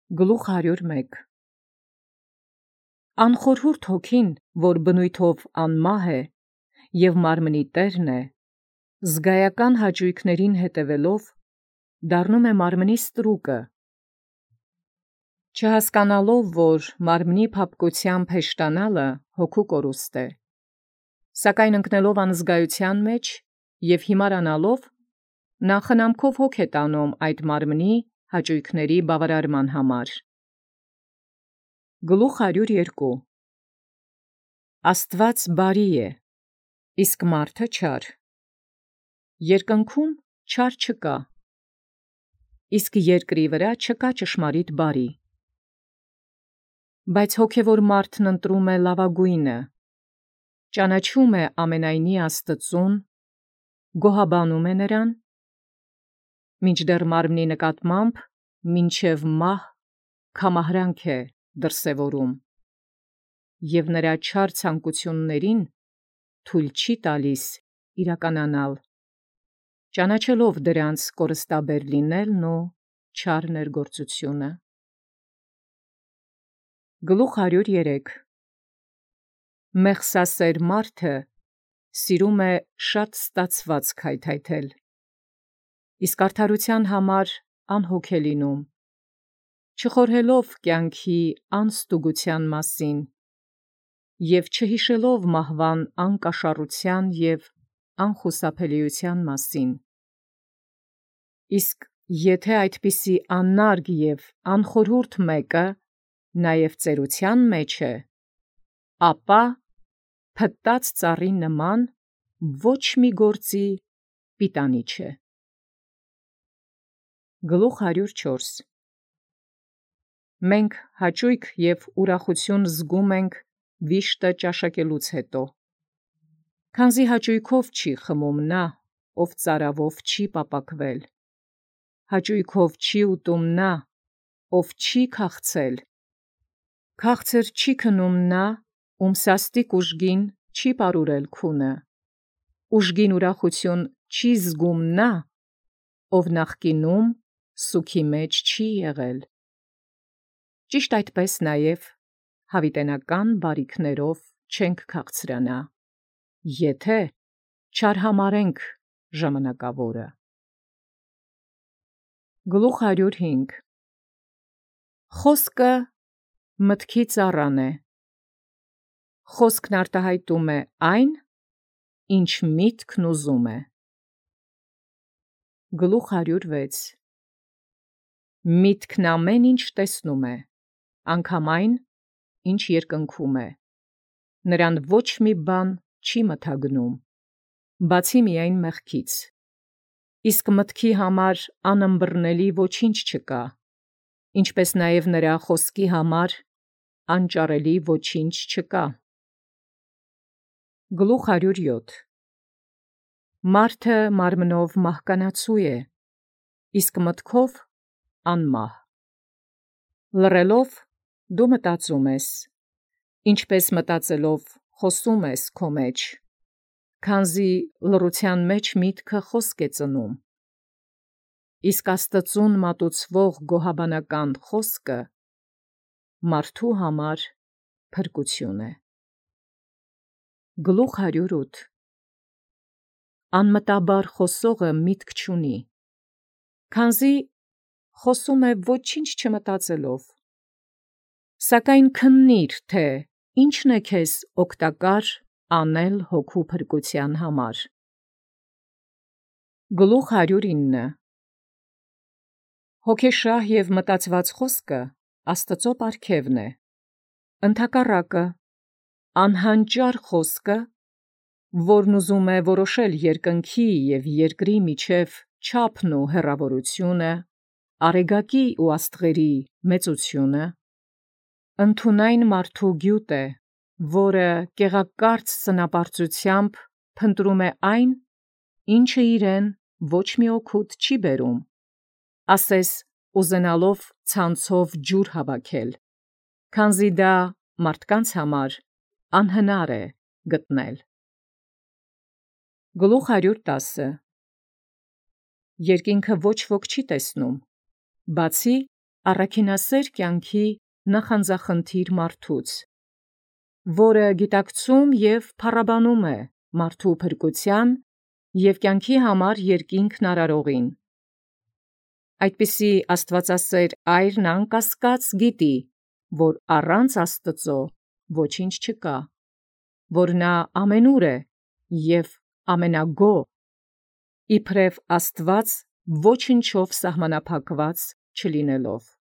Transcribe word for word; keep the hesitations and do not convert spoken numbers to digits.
Գլուխ հարյուր մեկ Անխորհուրդ հոգին, որ բնույթով անմահ է, և մարմնի տերն է, զգայական հաճույքներին հետևելով, դառնում է մարմնի ստրուկը, չհասկանալով, որ մարմնի փափկությամբ հեշտանալը հոգու կորուստ է, սակայն ընկնելով անզգայության մեջ և հիմարանալով, նա խնամքով հոգ է տանում այդ մարմնի հաճույքների բավարարման համար։ Գլուխ հարյուր երկու Աստուած բարի է, իսկ մարդը չար. երկնքում չար չկա, իսկ երկրի վրա չկա ճշմարիտ բարի։ Բայց հոգևոր մարդն ընտրում է լավագույնը, ճանաչում է ամենայնի Աստծուն, գոհաբանում է նրան, մինչդեռ մարմնի նկատմամբ մինչև մահ քամահրանք է դրսևորում, և նրա չար ցանկություններին թույլ չի տալիս իրականանալ, ճանաչելով դրանց կորստաբեր լինելն ու չար ներգործությունը։ Գլուխ հարյուր երեք Մեղսասեր մարդը սիրում է շատ ստացված քայթայթել, իսկ արդարության համար անհոգ է լինում, չխորհելով կյանքի անստուգության մասին և չհիշելով մահվան անկաշառության և անխուսափելիության մասին։ Իսկ եթե այդպիսի անարգ և անխորհուրդ մեկը նաև ծերության մեջ է, ապա փտտած ծառի նման ոչ մի գործի պիտանի չէ։ Գլուխ հարյուր չորս Մենք հաճույք և ուրախություն զգում ենք վիշտը ճաշակելուց հետո, քանզի հաճույքով չի խմում նա, ով ծարավով չի պապակվել, հաճույքով չի ուտում նա, ով չի քաղցել, քաղցր չի քնում նա, ում սաստիկ ուժգին չի պարուրել քունը, ուժգին ուրախություն չի զգում նա, ով նախկինում սուգի մեջ չի եղել։ Ճիշտ այդպես նաև հավիտենական բարիքներով չենք քաղցրանա, եթե չարհամարհենք ժամանակավորը։ Գլուխ հարյուր հինգ Խոսքը մտքի ծառան է, խոսքն արտահայտում է այն, ինչ միտքն ուզում է։ Գլուխ հարյուր վեց Միտքն ամեն ինչ տեսնում է, անգամ այն, ինչ երկնքում է, նրան ոչ մի բան չի մթագնում, բացի միայն մեղքից, իսկ մտքի համար անըմբռնելի ոչինչ չկա, ինչպես նաև նրա խոսքի համար անճարելի ոչինչ չկա։ Գլուխ հարյուր յոթ Մարդը մարմնով մահկանացու է, իսկ մտքով անմահ։ Լռելով դու մտածում ես, ինչպես մտածելով խոսում ես քո մեջ, քանզի լռության մեջ միտքը խոսք է ծնում, իսկ Աստծուն մատուցվող գոհաբանական խոսքը մարդու համար փրկություն է։ Գլուխ հարյուր ութ Անմտաբար խոսողը միտք չունի, քանզի խոսում է ոչինչ չմտածելով, սակայն քննիր, թե ի՛նչն է քեզ օգտակար անել հոգու փրկության համար։ Գլուխ հարյուր ինը Հոգեշահ և մտածված խոսքը Աստծո պարգևն է, ընդհակառակը, անհանճար խոսքը, որն ուզում է որոշել երկնքի և երկրի միջև չափն ու հեռավորությունը, արեգակի ու աստղերի մեծությունը, ընդունայն մարդու գյուտ է, որը կեղակարծ սնապարծությամբ փնտրում է այն, ինչը իրեն ոչ մի օգուտ չի բերում, ասես ուզենալով ցանցով ջուր հավաքել, քանզի դա մարդկանց համար անհնար է գտնել։ Գլուխ հարյուր տասը Երկինքը ոչ ոք չի տեսնում, բացի առաքինասեր կյանքի նախանձախնդիր մարդուց, որը գիտակցում և փառաբանում է մարդու փրկության և կյանքի համար երկինքն արարողին։ Այդպիսի աստվածասեր այրն անկասկած գիտի, որ առանց Աստծո ոչինչ չկա, որ նա ամենուր է և ամենագոհ, իբրև Աստված ոչնչով սահմանափակված չլինելով։